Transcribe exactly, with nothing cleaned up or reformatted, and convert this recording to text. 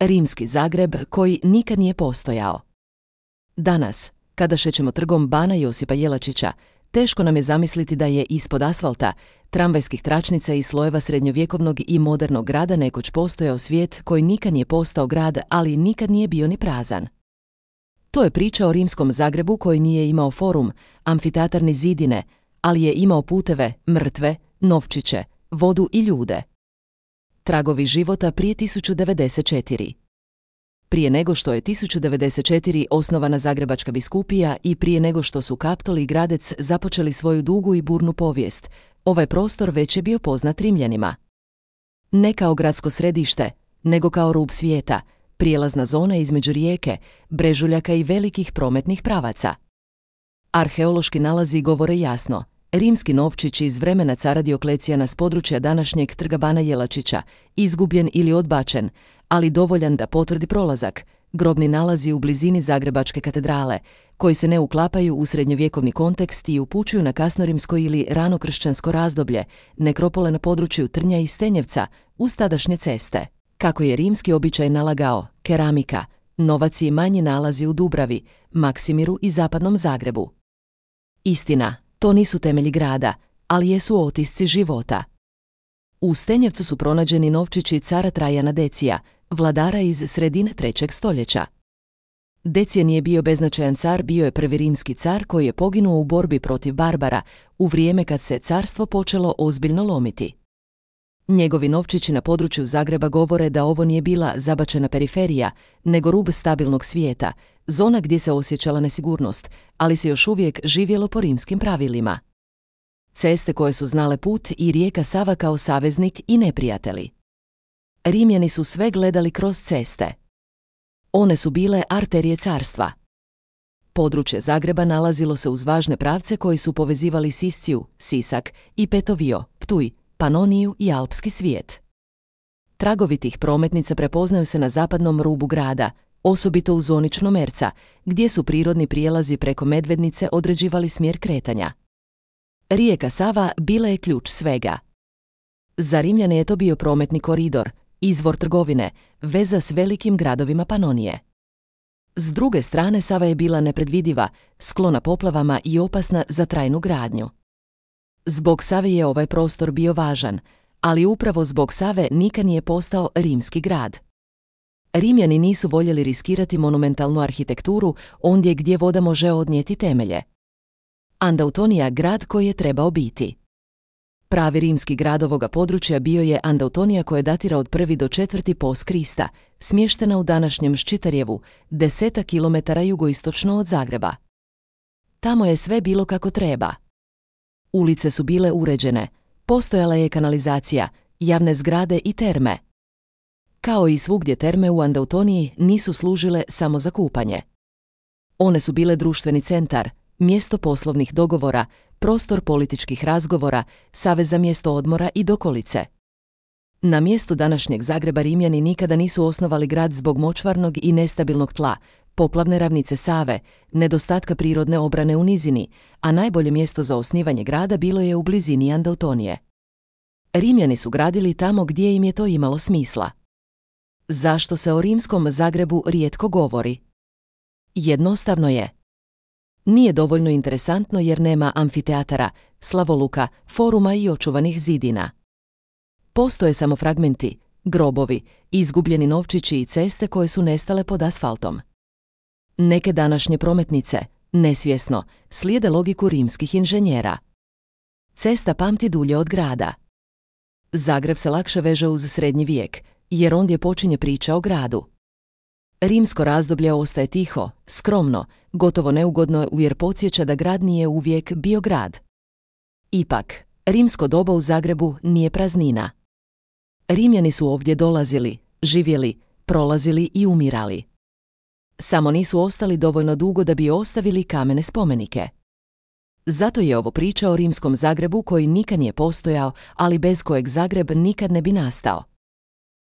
Rimski Zagreb koji nikad nije postojao. Danas, kada šećemo trgom Bana Josipa Jelačića, teško nam je zamisliti da je ispod asfalta, tramvajskih tračnica i slojeva srednjovjekovnog i modernog grada nekoć postojao svijet koji nikad nije postao grad, ali nikad nije bio ni prazan. To je priča o rimskom Zagrebu koji nije imao forum, amfiteatar ni zidine, ali je imao puteve, mrtve, novčiće, vodu i ljude. Tragovi života prije tisuću devedeset četiri. Prije nego što je tisuću devedeset četiri osnovana Zagrebačka biskupija i prije nego što su Kaptol i Gradec započeli svoju dugu i burnu povijest, ovaj prostor već je bio poznat Rimljanima. Ne kao gradsko središte, nego kao rub svijeta, prijelazna zona između rijeke, brežuljaka i velikih prometnih pravaca. Arheološki nalazi govore jasno. Rimski novčić iz vremena cara Dioklecijana s područja današnjeg trga Bana Jelačića, izgubljen ili odbačen, ali dovoljan da potvrdi prolazak, grobni nalazi u blizini Zagrebačke katedrale, koji se ne uklapaju u srednjovjekovni kontekst i upućuju na kasnorimsko ili ranokršćansko razdoblje, nekropole na području Trnja i Stenjevca, uz tadašnje ceste. Kako je rimski običaj nalagao, keramika, novac i manji nalazi u Dubravi, Maksimiru i zapadnom Zagrebu. Istina, to nisu temelji grada, ali jesu otisci života. U Stenjevcu su pronađeni novčići cara Trajana Decija, vladara iz sredine trećeg stoljeća. Decije nije bio beznačajan car, bio je prvi rimski car koji je poginuo u borbi protiv Barbara u vrijeme kad se carstvo počelo ozbiljno lomiti. Njegovi novčići na području Zagreba govore da ovo nije bila zabačena periferija, nego rub stabilnog svijeta, zona gdje se osjećala nesigurnost, ali se još uvijek živjelo po rimskim pravilima. Ceste koje su znale put i rijeka Sava kao saveznik i neprijatelji. Rimljani su sve gledali kroz ceste. One su bile arterije carstva. Područje Zagreba nalazilo se uz važne pravce koji su povezivali Sisciju, Sisak i Petovio, Ptuj, Panoniju i Alpski svijet. Tragovi tih prometnica prepoznaju se na zapadnom rubu grada, osobito u zoni Črnomerca, gdje su prirodni prijelazi preko Medvednice određivali smjer kretanja. Rijeka Sava bila je ključ svega. Za Rimljane je to bio prometni koridor, izvor trgovine, veza s velikim gradovima Panonije. S druge strane Sava je bila nepredvidiva, sklona poplavama i opasna za trajnu gradnju. Zbog Save je ovaj prostor bio važan, ali upravo zbog Save nikad nije postao rimski grad. Rimljani nisu voljeli riskirati monumentalnu arhitekturu ondje gdje voda može odnijeti temelje. Andautonija, grad koji je trebao biti. Pravi rimski grad ovoga područja bio je Andautonija koja datira od prvi do četvrti post Krista, smještena u današnjem Ščitarjevu, deseta kilometara jugoistočno od Zagreba. Tamo je sve bilo kako treba. Ulice su bile uređene, postojala je kanalizacija, javne zgrade i terme. Kao i svugdje terme u Andautoniji nisu služile samo za kupanje. One su bile društveni centar, mjesto poslovnih dogovora, prostor političkih razgovora, savez za mjesto odmora i dokolice. Na mjestu današnjeg Zagreba Rimljani nikada nisu osnovali grad zbog močvarnog i nestabilnog tla, poplavne ravnice Save, nedostatka prirodne obrane u nizini, a najbolje mjesto za osnivanje grada bilo je u blizini Andautonije. Rimljani su gradili tamo gdje im je to imalo smisla. Zašto se o rimskom Zagrebu rijetko govori? Jednostavno je. Nije dovoljno interesantno jer nema amfiteatara, slavoluka, foruma i očuvanih zidina. Postoje samo fragmenti, grobovi, izgubljeni novčići i ceste koje su nestale pod asfaltom. Neke današnje prometnice, nesvjesno, slijede logiku rimskih inženjera. Cesta pamti dulje od grada. Zagreb se lakše veže uz srednji vijek, jer ondje počinje priča o gradu. Rimsko razdoblje ostaje tiho, skromno, gotovo neugodno jer podsjeća da grad nije uvijek bio grad. Ipak, rimsko doba u Zagrebu nije praznina. Rimljani su ovdje dolazili, živjeli, prolazili i umirali. Samo nisu ostali dovoljno dugo da bi ostavili kamene spomenike. Zato je ovo priča o rimskom Zagrebu koji nikad nije postojao, ali bez kojeg Zagreb nikad ne bi nastao.